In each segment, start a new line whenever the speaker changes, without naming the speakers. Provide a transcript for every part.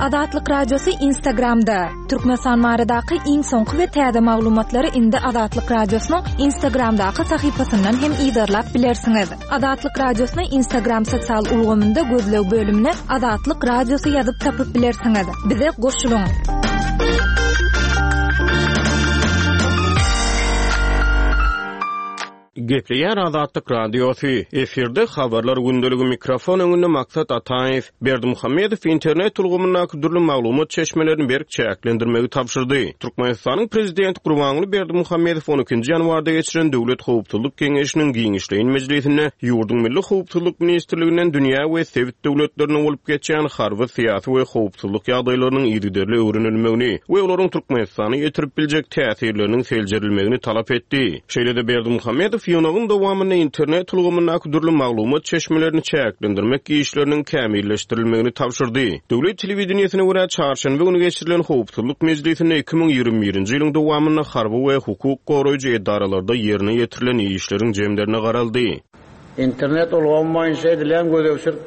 Azatlyk Radiosy Instagramda! Türkmenistan baradaky iň soňky we täze maglumatlary indi Azatlyk Radiosynyň Instagramdaky sahypasyndan hem yzarlap bilersiňiz. Azatlyk Radiosyny Instagram sosial ulgamynda gözleg bölümine Azatlyk Radiosy ýazyp tapyp bilersiňiz. Bize goşulyň!
Gepleýär Azatlyk Radiosy, efirde Habarlar gündeligi mikrofon öňünde Maksat Ataýew. Berdimuhamedow internet ulgamyndaky dürli maglumat çeşmelerini berk çäklendirmegi tabşyrdy. Türkmenistanyň Prezidenti Gurbanguly Berdimuhamedow on ikinji ýanwarda geçiren Döwlet howpsuzlyk geňeşiniň giňişleýin mejlisinde ýurduň Milli howpsuzlyk ministrliginden dünýä we sebit döwletlerinde bolup geçýän harby, syýasy we howpsuzlyk ýagdaýlarynyň yzygiderli öwrenilmegini we olaryň Türkmenistana ýetirip biljek täsirleriniň seljerilmegini talap etdi. Şeýle-de Berdimuhamedow ýygnagyň dowamynda internet ulgamyndaky dürli maglumat çeşmelerini çäklendirmek işleriniň kämilleşdirilmegini tabşyrdy. Döwlet telewideniýesine görä, çarşenbe güni geçirilen howpsuzlyk mejlisinde 2021-nji ýylyň dowamynda harby we hukuk goraýjy edaralarda ýerine ýetirilen işleriň jemlerine garaldy.
Internet ulgamy boýunça edilýän gözegçilik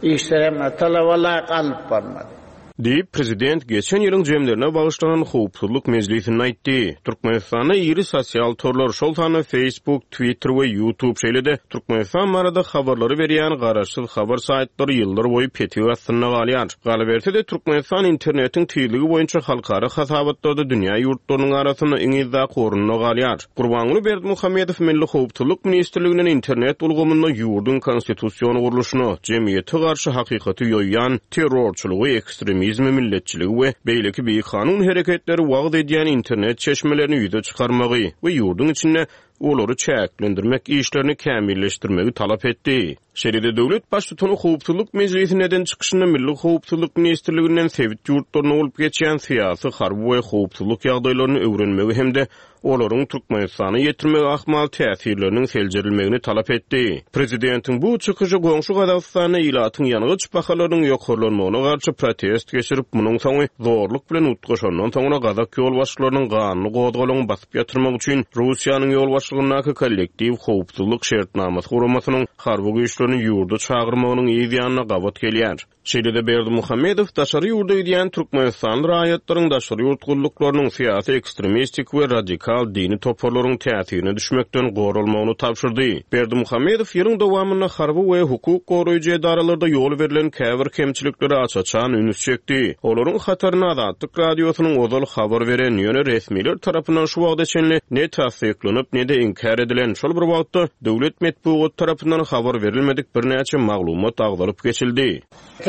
işleri hem talaba laýyk alnyp barylmady.
Diýip, prezident geçen ýylyň jemlerine bagyşlanan howpsuzlyk mejlisinde aýtdy. Türkmenistanda iri sosial torlar, şol sanda Facebook, Twitter we YouTube, şeýle-de Türkmenistan barada habarlary berýän garaşsyz habar saýtlary ýyllar boýy petik astynda galýar. Galyberse-de, Türkmenistan internetiň tizligi boýunça halkara hasabatlarda dünýä ýurtlarynyň arasynda iň yzdaky orunda galýar. Gurbanguly Berdimuhamedow Milli howpsuzlyk ministrliginden internet ulgamynda ýurduň konstitusion gurluşyna, jemgyýete garşy hakykaty ýoýýan, terrorçylygy, ekstremizmi, milletçiligi we beýleki bikanun hereketleri wagyz edýän internet çeşmelerini ýüze çykarmagy we ýurduň içinde olary çäklendirmek işlerini kämilleşdirmegi talap etdi. Şeýle-de döwlet Baştutany Howpsuzlyk mejlisinde eden çykyşynda Milli howpsuzlyk ministrliginden sebit ýurtlarynda bolup geçýän syýasy, harby we howpsuzlyk ýagdaýlaryny öwrenmegi hem-de olaryň Türkmenistana ýetirmegi ahmal täsirleriniň seljerilmegini talap etdi. Prezidentiň bu çykyşy goňşy Gazagystanda ilatyň ýangyç bahalarynyň ýokarlanmagyna garşy protest geçirip, munuň soňy zorluk bilen utgaşandan soňra gazak ýolbaşçylarynyň ganly gozgalaňy basyp ýatyrmak üçin Russiýanyň ýolbaşçylygyndaky Kollektiw howpsuzlyk şertnamasy guramasynyň harby güýçlerini ýurda çagyrmagynyň yz ýanyna gabat gelýär. Şeýle-de Berdimuhamedow daşary ýurda gidýän türkmenistanly raýatlaryň daşary ýurt gulluklarynyň, syýasy ekstremistik we radikal dini toparlaryň täsirine düşmekden goralmagyny tabşyrdy. Berdimuhamedow ýylyň dowamynda harby we hukuk goraýjy edaralarda ýol berlen käbir kemçiliklere aç-açan üns çekdi. Olaryň hatarynda Azatlyk Radiosynyň ozal habar beren, ýöne resmiler tarapyndan şu wagta çenli ne tassyklanyp, ne-de inkär edilen, şol bir wagtda, Döwlet metbugaty tarapyndan habar berilmedik birnäçe maglumat agzalyp geçildi.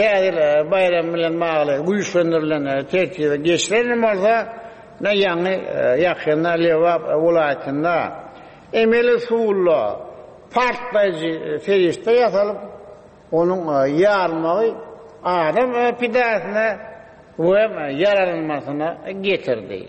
Täze ýyl baýramy bilen bagly güýçlendirilen tertibe geçilen hem bolsa, ine ýaňy ýakynda Lebap welaýatynda emeli usulda partlaýjy serişde ýasalyp, onuň ýarylmagy adam pidasyna we ýaralanmasyna getirdi.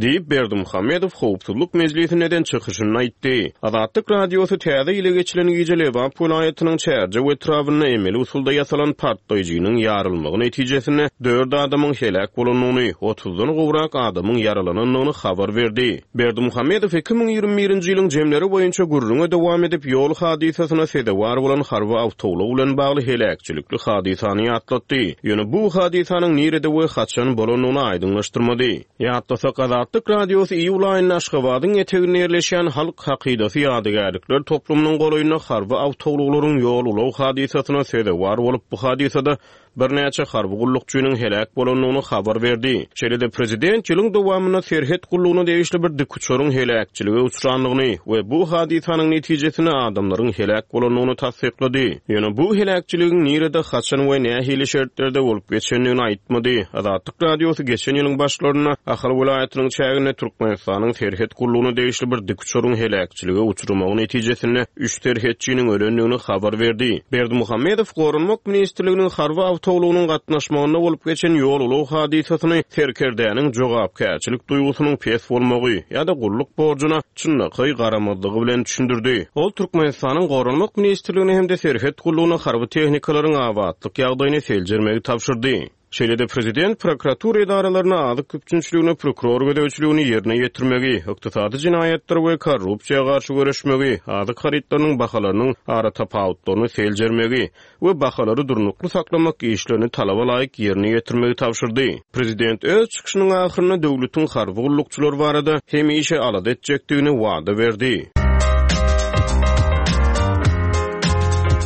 Diýip, Berdimuhamedow Howpsuzlyk mejlisinde eden çykyşynda aýtdy. Azatlyk Radiosy Täze ýyla geçilen gije Lebap welaýatynyň Çärjew etrabynda emeli usulda ýasalan partlaýjynyň ýarylmagy netijesinde dört adamyň heläk bolandygyny, otuzdan gowrak adamyň ýaralanandygyny habar berdi. Berdimuhamedow 2021-nji ýylyň jemleri boýunça gürrüňe dowam edip, ýol hadysasyna sezewar bolan harby awtoulag bilen bagly heläkçilikli hadysany ýatlatdy. Ýöne bu hadysanyň nirede we haçan bolandygyny aýdyňlaşdyrmady. Ýatlasak, Azatlyk Radiosy iýul aýynda Aşgabadyň eteginde ýerleşýän Halk hakydasy ýadygärlikler toplumynyň golaýynda harby awtoulaglaryň ýol-ulag hadysasyna sezewar bolup, bu hadysada birnäçe harby gullukçynyň heläk bolandygyny habar berdi. Şeýle-de prezident ýylyň dowamynda serhet gullugyna degişli bir dikuçaryň heläkçilige uçrandygyny we bu hadysanyň netijesinde adamlaryň heläk bolandygyny tassyklady. Ýöne bu heläkçiligiň nirede, haçan we nähili şertlerde bolup geçendigini aýtmady. Azatlyk Radiosy geçen ýylyň başlarynda Ahal welaýatynyň çäginde Türkmenistanyň serhet gullugyna degişli bir dikuçaryň heläkçilige uçramagy netijesinde üç serhetçiniň ölendigini habar berdi. Berdimuhamedow Goranmak ministrliginiň harby awtoulagynyň gatnaşmagynda bolup geçen ýol-ulag hadysasyny serkerdäniň jogapkärçilik duýgusynyň pes bolmagy ýa-da gulluk borjuna çynlakaý garamazlygy bilen düşündirdi. Ol Türkmenistanyň Goranmak ministrligine hem-de Serhet gullugyna harby tehnikalaryň abatlyk ýagdaýyny seljermegi tabşyrdy. Şeýle-de prezident prokuratura edaralaryna azyk üpjünçiligine prokuror gözegçiligini ýerine ýetirmegi, ykdysady jenaýatlara we korrupsiýa garşy göreşmegi, azyk harytlarynyň bahalarynyň aratapawutlaryny seljermegi we bahalary durnukly saklamak işlerini talaba laýyk ýerine ýetirmegi tabşyrdy. Prezident öz çykyşynyň ahyrynda döwletiň harby gullukçylary barada hemişe alada etjekdigini wada berdi.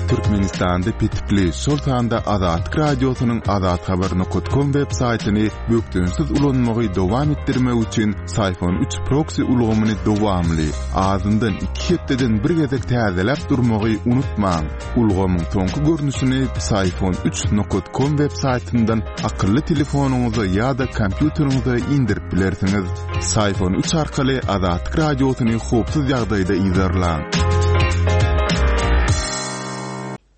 Türkmenistanda petikli, şol sanda Azatlyk Radiosynyň azathabar nokat kom web saýtyny bökdençsiz ulanmagy dowam etdirmek üçin Syfon üç proksi ulgamyny dowamly, azyndan iki hepdeden bir gezek täzeläp durmagy unutmaň. Ulgamyň soňky görnüşini Psiphon üç nokat kom web saýtyndan akylly telefonyňyza ýa-da kompýuteriňize indirip bilersiňiz. Psiphon üç arkaly Azatlyk Radiosyny howpsuz ýagdaýda yzarlaň.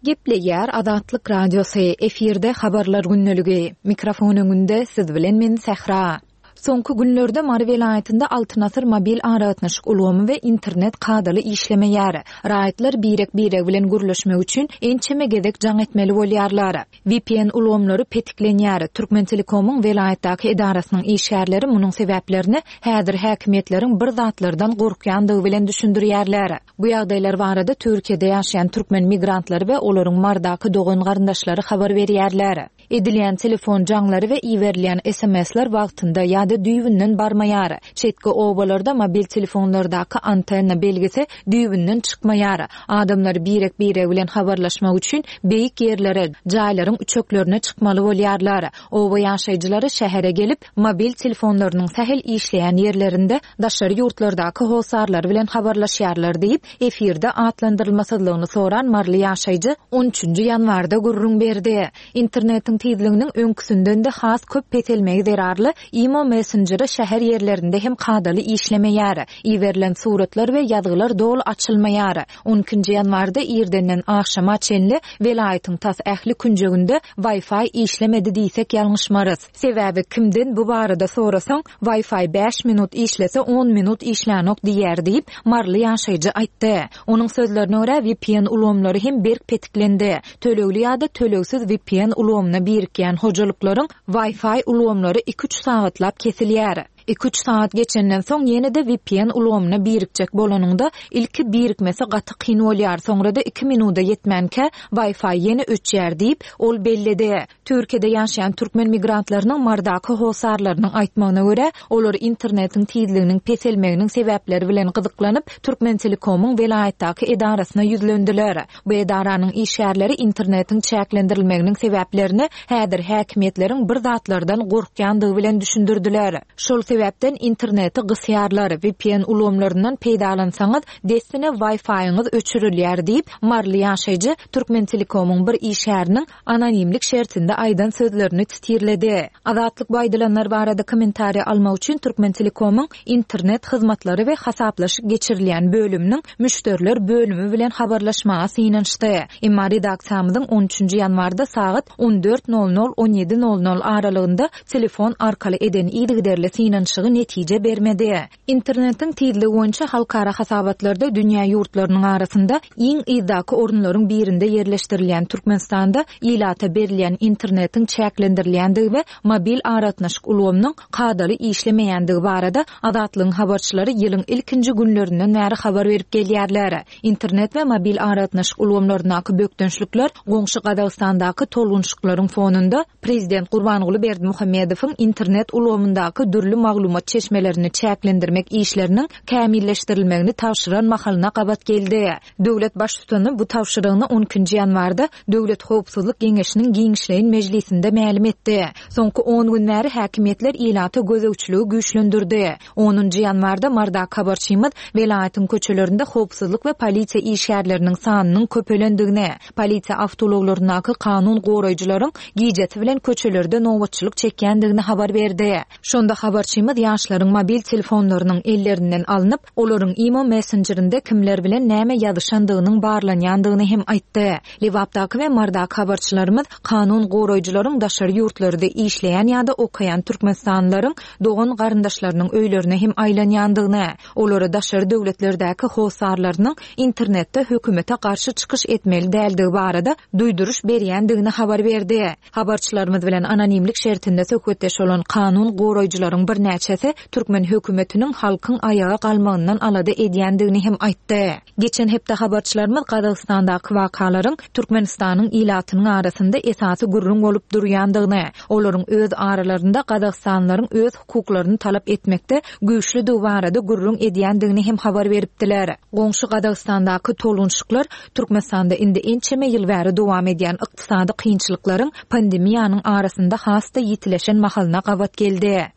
Gepleýär Azatlyk Radiosy, efirde Habarlar gündeligi. Mikrofon öňünde siz bilen men Sähra. Soňky günlerde Mary welaýatynda Altyn asyr mobil aragatnaşyk ulgamy we internet kadaly işlemeýär. Raýatlar birek-biregi bilen gürleşmek üçin ençeme gezek jaň etmeli bolýarlar. Vpn ulgamlary petiklenýär. Türkmentelekomyň welaýatdaky edarasynyň işgärleri munuň sebäplerini häzir häkimiýetleriň bir zatlardan gorkýandygy bilen düşündirýärler. Bu ýagdaýlar barada Türkiýede ýaşaýan türkmen migrantlary we olaryň Marydaky dogan-garyndaşlary habar berýärler. Edilýän telefon jaňlary we iberilýän SMS-ler wagtynda ýa-da düýbünden barmaýar. Çetki obalarda mobil telefonlardaky antenna belgisi düýbünden çykmaýar. Adamlar birek-biregi bilen habarlaşmak üçin beýik ýerlere, jaýlaryň üçeklerine çykmaly bolýarlar. Oba ýaşaýjylary şähere gelip, mobil telefonlarynyň sähel işleýän ýerlerinde daşary ýurtlardaky hossarlary bilen habarlaşýarlar diýip, efirde atlandyrylmasyzlygyny soran maryly ýaşaýjy on üçünji ýanwarda gürrüň berdi. Internetiň tizliginiň öňküsinden-de has köp peselmegi zerarly Imo messenjeri şäher ýerlerinde hem kadaly işlemeýär. Iberilen suratlar we ýazgylar doly açylmaýar. On ikinji ýanwarda irdenden agşama çenli welaýatyň tas ähli künjeginde Wi-Fi işlemedi diýsek ýalňyşmarys. Sebäbi kimden bu barada sorasaň, Wi-Fi bäş minut işlese, on minut işlänok diýýär diýip, maryly ýaşaýjy aýtdy. Onuň sözlerine görä, vpn ulgamlary hem berk petiklendi. Tölegli ýa-da tölegsiz vpn ulgamyna birikýän hojalyklaryň Wi-Fi ulgamlary iki-üç sagatlap kesilýär. Iki-üç sagat geçenden soň ýene-de vpn ulgamyna birikjek bolanyňda, ilki birikmesi gaty kyn bolýar, soňra-da iki minuda ýetmänkä Wi-Fi ýene öçýär diýip, ol belledi. Türkiýede ýaşaýan türkmen migrantlarynyň Marydaky hossarlarynyň aýtmagyna görä, olar internetiň tizliginiň peselmeginiň sebäpleri bilen gyzyklanyp, Türkmentelekomyň welaýatdaky edarasyna ýüzlendiler. Bu edaranyň işgärleri internetiň çäklendirilmeginiň sebäplerini häzir häkimiýetleriň bir zatlardan gorkýandygy bilen düşündirdiler. Şol sebäpden interneti gysýarlar, vpn ulgamlaryndan peýdalansaňyz, dessine Wi-Fi-ňiz öçürilýär diýip, maryly ýaşaýjy Türkmentelekomyň bir işgäriniň anonimlik şertinde aýdan sözlerini titirledi. Azatlyk bu aýdylanlar barada kommentariý almak üçin Türkmentelekomyň internet hyzmatlary we hasaplaşyk geçirilýän bölüminiň müşderiler bölümi bilen habarlaşmaga synanyşdy. Emma redaksiýamyzyň on üçünji ýanwarda sagat on dört nol nol, on ýedi nol nol aralygynda telefon arkaly eden yzygiderli synanyşygy netije bermedi. Internetiň tizligi boýunça halkara hasabatlarda dünýä ýurtlarynyň arasynda iň yzdaky orunlaryň birinde ýerleşdirilýän Türkmenistanda ilata berilýän internetiň çäklendirilýändigi we mobil aragatnaşyk ulgamynyň kadaly işlemeýändigi barada Azatlygyň habarçylary ýylyň ilkinji günlerinden bäri habar berip gelýärler. Internet we mobil aragatnaşyk ulgamlaryndaky bökdençlikler goňşy Gazagystandaky tolgunyşyklaryň fonunda Prezident Gurbanguly Berdimuhamedowyň internet ulgamyndaky dürli maglumat çeşmelerini çäklendirmek işleriniň kämilleşdirilmegini tabşyran mahalyna gabat geldi. Döwlet Baştutany bu tabşyrygyny on ikinji ýanwarda Döwlet howpsuzlyk geňeşiniň giňişleýin mejlisinde mälim etdi. Soňky on gün bäri häkimiýetler ilata gözegçiligi güýçlendirdi. Onunjy ýanwarda Marydaky habarçymyz welaýatyň köçelerinde howpsuzlyk we polisiýa işgärleriniň sanynyň köpelendigini, polisiýa awtoulaglaryndaky kanun goraýjylaryň gijesi bilen köçelerde nobatçylyk çekýändigini habar berdi. Şonda habarçymyz. Habarçymyz ýaşlaryň mobil telefonlarynyň ellerinden alnyp, olaryň imo messenjerinde kimler bilen näme ýazyşandygynyň barlanýandygyny hem aýtdy. Lebapdaky we Marydaky habarçylarymyz kanun goraýjylaryň daşary ýurtlarda işleýän ýa-da okaýan türkmenistanlylaryň dogan-garyndaşlarynyň öýlerine hem aýlanýandygyny, olara daşary döwletlerdäki hossarlarynyň internetde hökümete garşy çykyş etmeli däldigi barada duýduryş berýändigini habar berdi. Habarçylarymyz bilen anonimlik şertinde söhbetdeş bolan kanun goraýjylaryň birnäçesi türkmen hökümetiniň halkyň aýaga galmagyndan alada edýändigini hem aýtdy. Geçen hepde habarçylarymyz Gazagystandaky wakalaryň Türkmenistanyň ilatynyň arasynda esasy gürrüň bolup durýandygyny, olaryň öz aralarynda gazagystanlylaryň öz hukuklaryny talap etmekde güýçlüdigi barada gürrüň edýändigini hem habar beripdiler. Goňşy Gazagystandaky tolgunyşyklar Türkmenistanda indi ençeme ýyl bäri dowam edýän ykdysady kynçylyklaryň pandemiýanyň arasynda has-da ýitileşen mahalyna gabat geldi.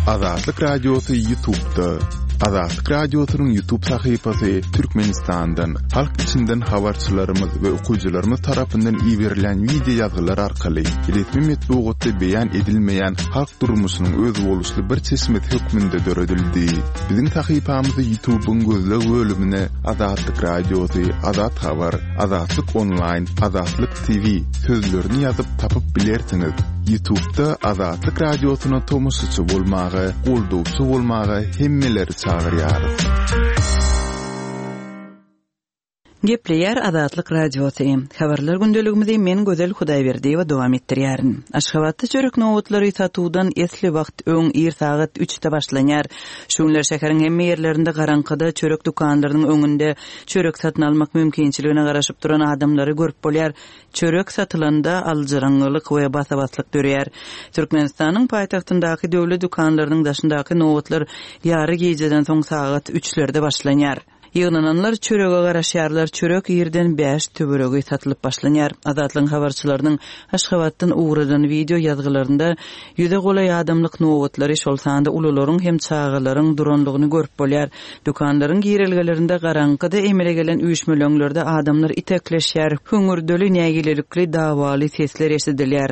Azatlyk Radiosy Ýutubda. Azatlyk Radiosynyň Ýutub sahypasy Türkmenistandan, halk içinden habarçylarymyz we okyjylarymyz tarapyndan iberilen wideo ýazgylar arkaly resmi metbugatda beýan edilmeýän halk durmuşynyň özboluşly bir çeşmesi hökmünde döredildi. Biziň sahypamyzy Ýutubyň gözleg bölümine Azatlyk Radiosy, Azat Habar, Azatlyk Onlaýn, Azatlyk TV sözlerini ýazyp tapyp bilersiňiz. Ýutubda Azatlyk Radiosyna tomaşaçy bolmaga, goldawçy bolmaga hemmeleri çagyrýarys.
Gepleýär Azatlyk Radiosy. Habarlar gündeligimizi men Gözel Hudaýberdiýewa dowam etdirýärin. Aşgabatda çörek nobatlary satuwdan esli wagt öň ir sagat üçde başlanýar. Şu günler şäheriň hemme ýerlerinde garaňkyda çörek dükanlarynyň öňünde çörek satyn almak mümkinçiligine garaşyp duran adamlary görüp bolýar. Çörek satylanda aljyraňňylyk we basa-baslyk döreýär. Türkmenistanyň paýtagtyndaky döwlet dükanlarynyň daşyndaky nobatlar ýary gijeden soň sagat üçlerde başlanýar. Ýygnananlar çörege garaşýarlar, çörek irden bäş töweregi satylyp başlanýar. Azatlygyň habarçylarynyň Aşgabatdan ugradan wideo ýazgylarynda ýüze golaý adamlyk nobatlary, şol sanda ulularyň hem çagalaryň duranlygyny görüp bolýar. Dükanlaryň girelgelerinde garaňkyda emele gelen üýşmeleňlerde adamlar itekleşýär, hüňürdeli, nägilelikli, dawaly sesler eşidilýär.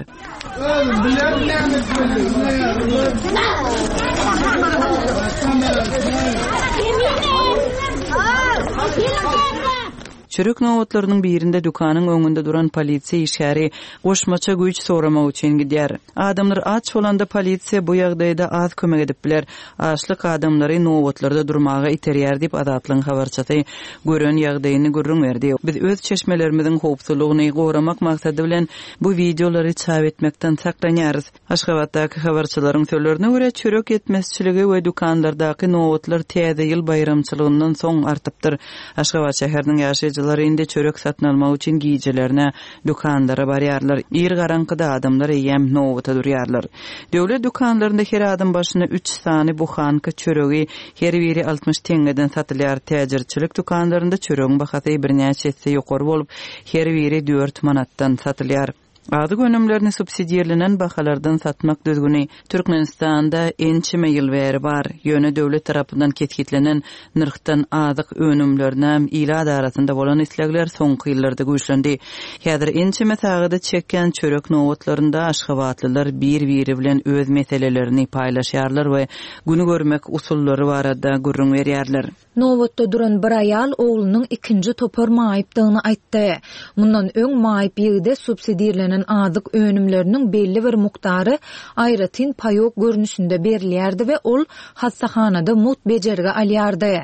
Çörek nobatlarynyň birinde dükanyň öňünde duran polisiýa işgäri goşmaça güýç soramak üçin gidýär. Adamlar aç bolanda polisiýa bu ýagdaýda az kömek edip biler. Açlyk adamlary nobatlarda durmaga iterýär diýip, Azatlygyň habarçysy gören ýagdaýyny gürrüň berdi. Biz öz çeşmelerimiziň howpsuzlygyny goramak maksady bilen bu wideolary çap etmekden saklanýarys. Aşgabatdaky habarçylaryň sözlerine görä, çörek ýetmezçiligi we dükanlardaky nobatlar Täze ýyl baýramçylygyndan soň artypdyr. Aşgabat şäheriniň ýaşaýjylary indi çörek satyn almak üçin gijelerine dükanlara barýarlar. Ir garaňkyda adamlar eýýäm nobata durýarlar. Döwlet dükanlarynda her adam başyna üç sany buhanka çöregi, her biri 60 teňňeden satylýar. Täjirçilik dükanlarynda çöregiň bahasy birnäçe esse ýokary bolup, her biri dört manatdan satylýar. Azyk önümlerini subsidirlenen bahalardan satmak düzgüni Türkmenistanda ençeme ýyl bäri bar. Ýöne döwlet tarapyndan kesgitlenen nyrhdan azyk önümlerine ilat arasynda bolan islegler soňky ýyllarda güýçlendi. Häzir ençeme sagada çekýän çörek nobatlarynda aşgabatlylar bir-biri bilen öz meselelerini paýlaşýarlar we güni görmek usullary barada gürrüň berýärler.
Nobatda duran bir aýal oglunyň ikinji topar maýypdygyny aýtdy. Mundan öň maýyp ýigide subsidirlenen azyk önümleriniň belli bir mukdary aýratyn paýok görnüşinde berilýärdi we ol hassahanada mugt bejergi alýardy.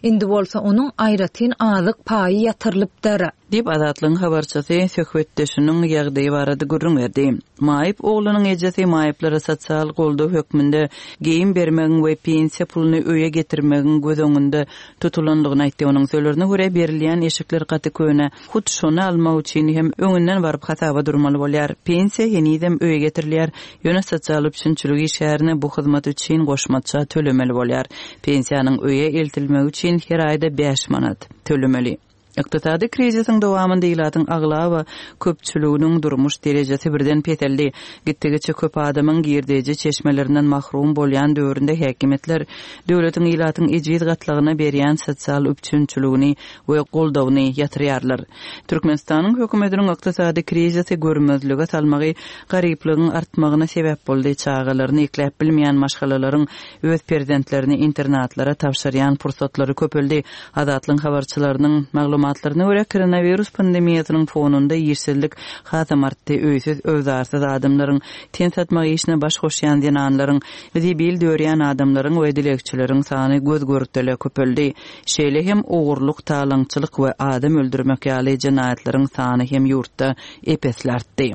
Indi bolsa onuň aýratyn azyk paýy ýatyrylypdyr.
Diýip, Azatlygyň habarçysy söhbetdeşiniň ýagdaýy barada gürrüň berdi. Maýyp oglunyň ejesi maýyplara sosial goldaw hökmünde geýim bermegiň we pensiýa puluny öýe getirmegiň göz öňünde tutulandygyny aýtdy. Onuň sözlerine görä, berilýän eşikler gaty köne, hut şony almak üçin hem öňünden baryp hasaba durmaly bolýar. Pensiýa henizem öýe getirilýär, ýöne sosial üpjünçilik işgärine bu hyzmat üçin goşmaça tölemeli bolýar. Pensiýanyň öýe eltilmegi üçin her aýda bäş manat tölemeli. Ykdysady krizisiň dowamynda ilatyň aglaba köpçüliginiň durmuş derejesi birden peseldi. Gitdigiçe köp adamyň girdeji çeşmelerinden mahrum bolýan döwründe häkimiýetler döwletiň ilatyň ejiz gatlagyna berýän sosial üpjünçiligini we goldawyny ýatyrýarlar. Türkmenistanyň hökümetiniň ykdysady krizisi görmezlige salmagy garyplygyň artmagyna sebäp boldy, çagalaryny ekläp bilmeýän maşgalalaryň öz perzentlerini internatlara tabşyrýan pursatlary köpeldi. Azatlygyň habarçylarynyň maglumatlaryna görä, koronawirus pandemiýasynyň fonunda işsizlik hasam artdy, öýsüz-öwzarsyz adamlaryň, ten satmak işine baş goşýan zenanlaryň, zibil dörýän adamlaryň we dilegçileriň sany göz-görtele köpeldi. Şeýle hem ogurlyk, talaňçylyk we adam öldürmek ýaly jenaýatlaryň sany hem ýurtda ep-esli artdy.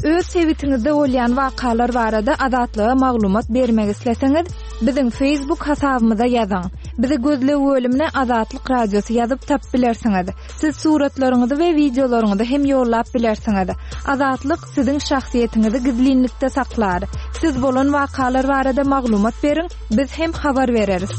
Öz sebitiňizde bolýan wakalar barada Azatlyga maglumat bermek isleseňiz, biziň Facebook hasabymyza ýazyň. Bizi gözleg bölümine Azatlyk Radiosy ýazyp tapyp bilersiňiz. Siz suratlaryňyzy we wideolaryňyzy hem ýollap bilersiňiz. Azatlyk siziň şahsyýetiňizi gizlinlikde saklar. Siz bolan wakalar barada maglumat beriň, biz hem habar bereris.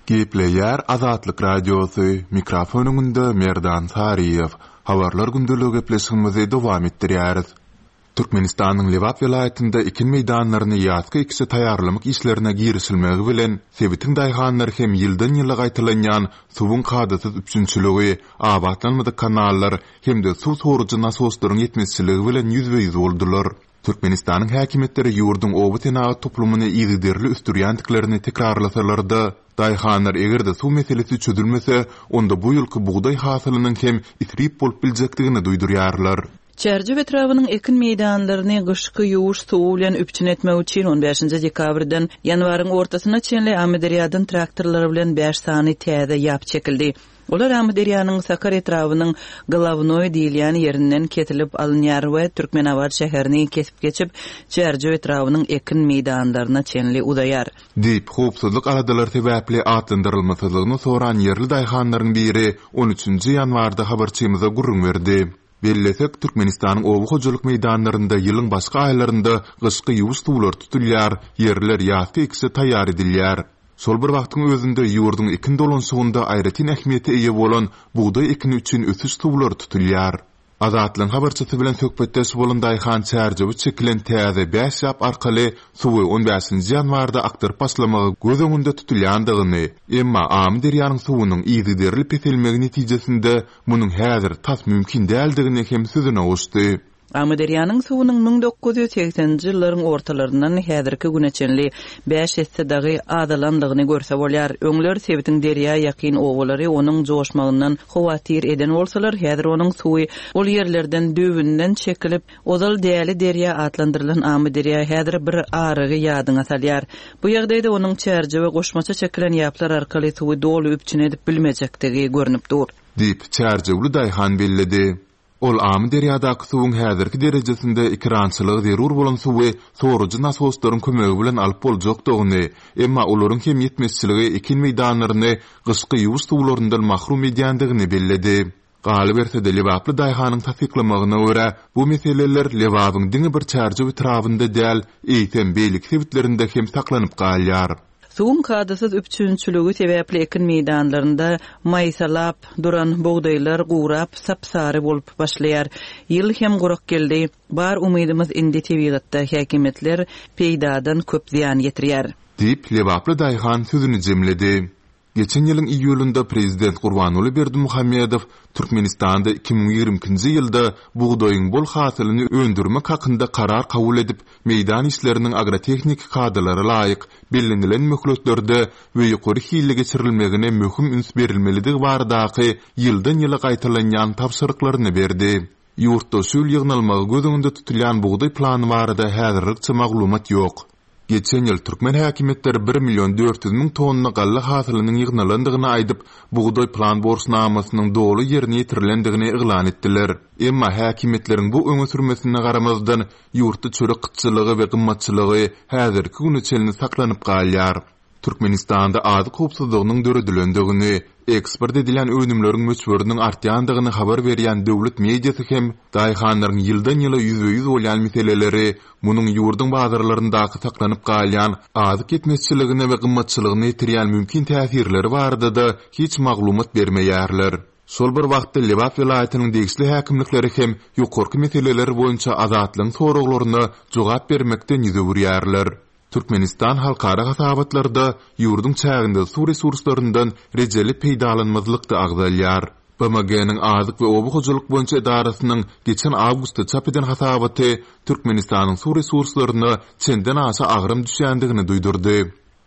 Gepleýär Azatlyk Radiosy, mikrofon öňünde Merdan Saryýew. Habarlar gündeligi gepleşigimizi dowam etdirýäris. Türkmenistanyň Lebap welaýatynda ekin meýdanlaryny ýazky ekişe taýýarlamak işlerine girişilmegi bilen, sebitiň daýhanlary hem ýyldan-ýyla gaýtalanýan suwuň kadasyz üpjünçiligi, abatlanmadyk kanallar hem-de suw sorujy nasoslaryň ýetmezçiligi bilen ýüzbe-ýüz boldular. Türkmenistanyň häkimiýetleri ýurduň oba senagat toplumyny yzygiderli ösdürýändiklerini tekrarlasalar-da, daýhanlar eger-de suw meselesi çözülmese, onda bu ýylky bugdaý hasylynyň hem isrip bolup biljekdigini duýdurýarlar.
Çärjew etrabynyň ekin meýdanlaryny gyşky ýuwuş suwy bilen üpjün etmek üçin on bäşinji dekabrdan ýanwaryň ortasyna çenli Amyderýadan traktorlar bilen bäş sany täze ýap çekildi. Olar Amyderýanyň Sakar etrabynyň Glawnoý diýilýän ýerinden kesilip alynýar we Türkmenabat şäherini kesip geçip, Çärjew etrabynyň ekin meýdanlaryna çenli uzaýar.
Diýip, howpsuzlyk aladalary sebäpli atlandyrylmasyzlygyny soran ýerli daýhanlaryň biri on üçünji ýanwarda habarçymyza gürrüň berdi. Bellesek, Türkmenistanyň oba hojalyk meýdanlarynda ýylyň başga aýlarynda gyşky ýuwuş suwlary tutulýar, ýerler ýazky ekişe taýýar edilýär. Şol bir wagtyň özünde ýurduň ekin dolanyşygynda aýratyn ähmiýete eýe bolan bugdaý ekini üçin ösüş suwlary tutulýar. Azatlygyň habarçysy bilen söhbetdeş bolan daýhan Çärjewe çekilen täze bäş ýap arkaly suwy on bäşinji ýanwarda akdyryp başlamagy göz öňünde tutulýandygyny, emma Amyderýanyň suwunyň yzygiderli peselmegi netijesinde Munuň häzir tas mümkin däldigini hem sözüne goşdy.
Amyderýanyň suwunyň 1980-nji ýyllaryň ortalaryndan häzirki güne çenli bäş esse dagy azalandygyny görse bolýar. Öňler sebitiň derýa ýakyn obalary onuň joşmagyndan howatyr eden bolsalar, häzir onuň suwy ol ýerlerden düýbünden çekilip, ozal Däli derýa atlandyrylan Amyderýa häzir bir arygy ýadyňa salýar. Bu ýagdaýda onuň Çärjewe goşmaça çekilen ýaplar arkaly suwy doly üpjün edip bilmejekdigi görnüp dur.
Diýip, çärjewli daýhan belledi. Ol Amyderýadaky suwuň häzirki derejesinde ekerançylyga zerur bolan suwy sorujy nasoslaryň kömegi bilen alyp boljakdygyny, emma olaryň hem ýetmezçiligi ekin meýdanlaryny gyşky ýuwuş suwlaryndan mahrum edýändigini belledi. Galyberse-de, lebaply daýhanyň tassyklamagyna görä, bu meseleler Lebabyň diňe bir Çärjew etrabynda däl, eýsem, beýleki sebitlerinde hem saklanyp galýar.
Suwuň kadasyz üpjünçiligi sebäpli ekin meýdanlarynda maýsalap duran bugdaýlar gurap, sap-sary bolup başlaýar. Ýyl hem gurak geldi. Bar umydymyz indi tebigatda, häkimiýetler peýdadan köp zyýan ýetirýär.
Diýip, lebaply daýhan sözüni jemledi. Geçen ýylyň iýulynda prezident Gurbanguly Berdimuhamedow Türkmenistanda 2022-nji ýylda bugdaýyň bol hasylyny öndürmek hakynda karar kabul edip, meýdan işleriniň agrotehniki kadalara laýyk, bellenilen möhletlerde we ýokary hilli geçirilmegine möhüm üns berilmelidigi baradaky ýyldan-ýyla gaýtalanýan tabşyryklaryny berdi. Ýurtda şu ýyl ýygnalmagy göz öňünde tutulýan bugdaý plany barada häzirlikçe maglumat ýok. Geçen ýyl türkmen häkimiýetleri bir million 400 müň tonna galla hasylynyň ýygnalandygyny aýdyp, bugdaý plan borçnamasynyň doly ýerine ýetirilendigini yglan etdiler. Emma häkimiýetleriň bu öňe sürmesine garamazdan, ýurtda çörek gytçylygy we gymmatçylygy häzirki güne çenli saklanyp galýar. Türkmenistanda azyk howpsuzlygynyň döredilendigini, Eksport edilýän önümleriň möçberiniň artýandygyny habar berýän döwlet mediasy hem daýhanlaryň ýyldan-ýyla ýüzbe-ýüz bolýan meseleleri, munuň ýurduň bazarlaryndaky saklanyp galýan azyk ýetmezçiligine we gymmatçylygyna ýetirýän mümkin täsirleri barada-da hiç maglumat bermeýärler. Şol bir wagtda Lebap welaýatynyň degişli häkimlikleri hem ýokarky meseleler boýunça Azatlygyň soraglaryna jogap bermekden ýüz öwürýärler. Türkmenistan halkara hasabatlarda ýurduň çäginde suw resurslaryndan rejeli peýdalanmazlykda agzalýar. BMG-niň Azyk we oba hojalyk boýunça edarasynyň geçen awgustda çap eden hasabaty Türkmenistanyň suw resurslaryna çenden-aşa agram düşýändigini duýdurdy.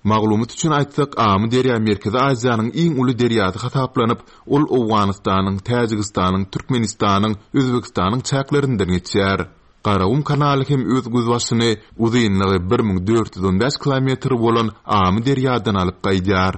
Maglumat üçin aýtsak, Amyderýa Merkezi Aziýanyň iň uly derýasy hasaplanyp, ol Owganystanyň, Täjigistanyň, Türkmenistanyň, Özbegistanyň çäklerinden geçýär. Garagum kanaly hem öz gözbaşyny uzynlygy 1415 kilometr bolan Amyderýadan alyp gaýdýar.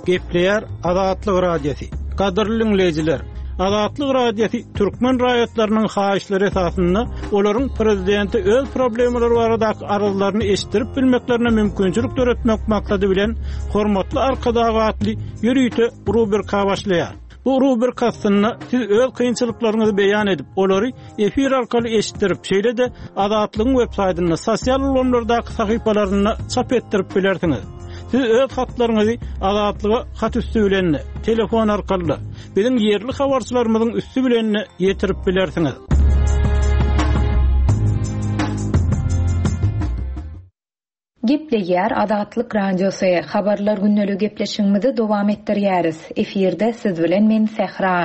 Gepleýär Azatlyk Radiosy. Gadyrly diňleýjiler, Azatlyk Radiosy türkmen raýatlarynyň haýyşlary esasynda olaryň prezidente öz problemalary baradaky arzlaryny eşitdirip bilmeklerine mümkinçilik döretmek maksady bilen Hormatly Arkadag atly ýörite rubrika başlaýar. Bu rubrika astynda siz öz kynçylyklaryňyzy beýan edip, olary efir arkaly eşitdirip, şeýle-de Azatlygyň websaýtynda, sosial ulgamlardaky sahypalarynda çap etdirip bilersiňiz. Siz öz hatlaryňyzy Azatlyga hat üsti bilen-de, telefon arkaly-da, biziň ýerli habarçylarymyzyň üsti bilen-de ýetirip bilersiňiz.
Gepleýär Azatlyk Radiosy, Habarlar gündeligi gepleşigimizi dowam etdirýäris. Efirde siz bilen men Sähra.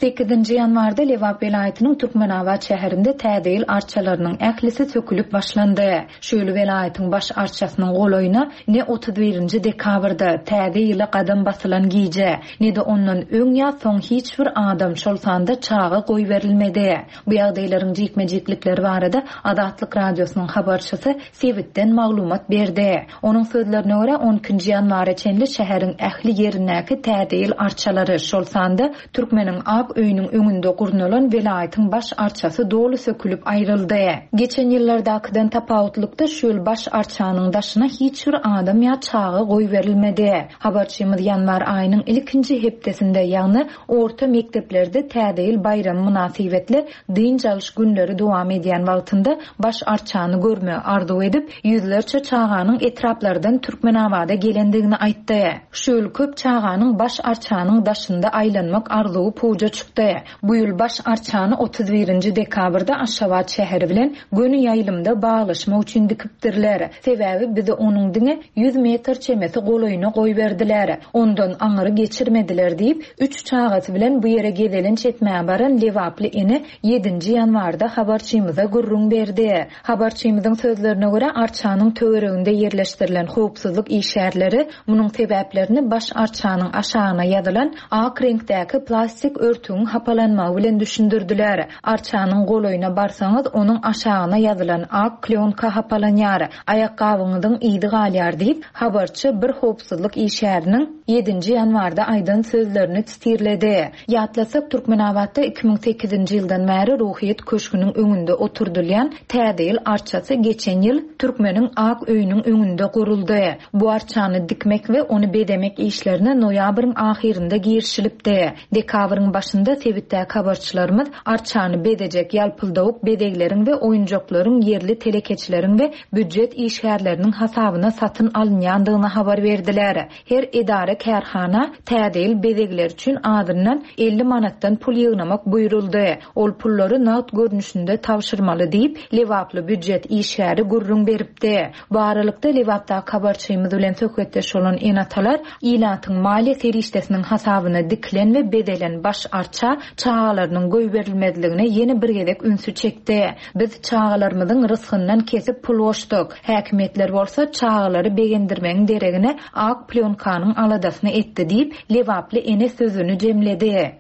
Sekizinji ýanwarda Lebap welaýatynyň Türkmenabat şäherinde Täze ýyl arçalarynyň ählisi sökülip başlandy. Şu ýyl welaýatyň baş arçasynyň golaýyna ne 31 nji dekabrda, Täze ýyla gadam basylan gije, ne-de ondan öň ýa soň hiç bir adam, şol sanda çaga goýberilmedi. Bu ýagdaýlaryň jikme-jiklikleri barada Azatlyk Radiosynyň habarçysy sebitden maglumat berdi. Onuň sözlerine görä, on ikinji ýanwara çenli şäheriň ähli ýerindäki Täze ýyl arçalary, şol sanda Türkmeniň ak öýüniň öňünde gurnalan welaýatyň baş arçasy doly sökülip aýryldy. Geçen ýyllardakydan tapawutlykda, şu ýyl baş arçanyň daşyna hiç bir adam ýa çaga goýberilmedi. Habarçymyz ýanwar aýynyň ilkinji hepdesinde, ýagny Orta mekdeplerde Täze ýyl baýramy mynasybetli dynç alyş günleri dowam edýän wagtynda baş arçany görmegi arzuw edip, ýüzlerçe çaganyň etraplardan Türkmenabada gelendigini aýtdy. Şu ýyl köp çaganyň baş arçanyň daşynda aýlanmak arzuwy puja çykdy. Bu ýyl baş arçany 31 nji dekabrda Aşgabat şäheri bilen göni ýaýlymda baglaşmak üçin dikipdirler. Sebäbi bizi onuň diňe 100 metr çemesi golaýyna goýberdiler. Ondan aňyry geçirmediler diýip, üç çagasy bilen bu ýere gezelenç etmäge baran lebaply ene ýedinji ýanwarda habarçymyza gürrüň berdi. Habarçymyzyň sözlerine görä, arçanyň töwereginde ýerleşdirilen howpsuzlyk işgärleri munuň sebäplerini baş arçanyň aşagyna ýazylan ak reňkdäki plastik örtügiň hapalanmagy bilen düşündirdiler. Arçanyň golaýyna barsaňyz, onuň aşagyna ýazylan ak klýonka hapalanýar, aýakgabyňyzyň yzy galýar diýip, habarçy bir howpsuzlyk işgäriniň ýedinji ýanwarda aýdan sözlerini sitirledi. Ýatlasak, Türkmenabatda 2008-nji ýyldan bäri Ruhyýet köşgüniň öňünde oturdylýan Täze ýyl arçasy geçen ýyl Türkmeniň ak öýüniň öňünde guruldy. Bu arçany dikmek we ony bezemek işlerine noýabryň ahyrynda girişilipdi. Dekabryň başynda sebitdäki habarçylarymyz arçany bezejek ýalpyldawuk bezegleriň we oýunjaklaryň ýerli telekeçileriň we býujet işgärleriniň hasabyna satyn alynýandygyny habar berdiler. Her edara-kärhana Täze ýyl bezegleri üçin azyndan 50 manatdan pul ýygnamak buýruldy. Ol pullary nagt görnüşinde tabşyrmaly diýip, lebaply býujet işgäri gürrüň beripdi. Bu aralykda, Lebapdaky habarçymyz bilen söhbetdeş bolan ene-atalar ilatyň maliýe serişdesiniň hasabyna dikilen we bezelen baş arça çagalarynyň goýberilmezligine ýene bir gezek ünsi çekdi. Biz çagalarymyzyň rysgyndan kesip pul goşduk. Häkimiýetler bolsa çagalary begendirmegiň deregine ak plýonkanyň aladasyny etdi diýip, lebaply ene sözüni jemledi.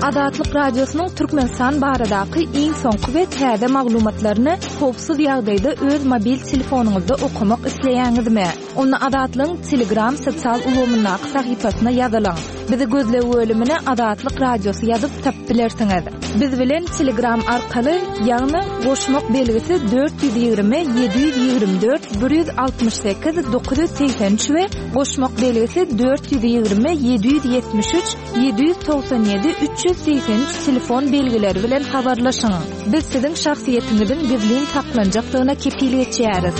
Azatlyk Radiosynyň Türkmenistan baradaky iň soňky we täze maglumatlaryny howpsuz ýagdaýda öz mobil telefonyňyzda okamak isleýäňizmi? Onda Azatlygyň Telegram sosial ulgamyndaky sahypasyna ýazylyň. Bizi gözleg bölümine Azatlyk Radiosy ýazyp tapyp bilersiňiz. Biz bilen Telegram arkaly, ýagny goşmak belgisi 420 724 168 983 we goşmak belgisi 420 773 797 383 telefon belgileri bilen habarlaşyň. Biz siziň şahsyýetiňiziň gizlin saklanjakdygyna kepil geçýäris.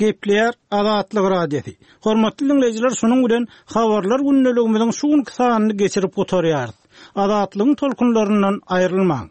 Gepleýär Azatlyk Radiosy. Hormatly diňleýjiler şunuň bilen Habarlar gündeligimiziň şu günki sanyny geçirip gutarýarys. Azatlygyň tolkunlaryndan aýrylmaň.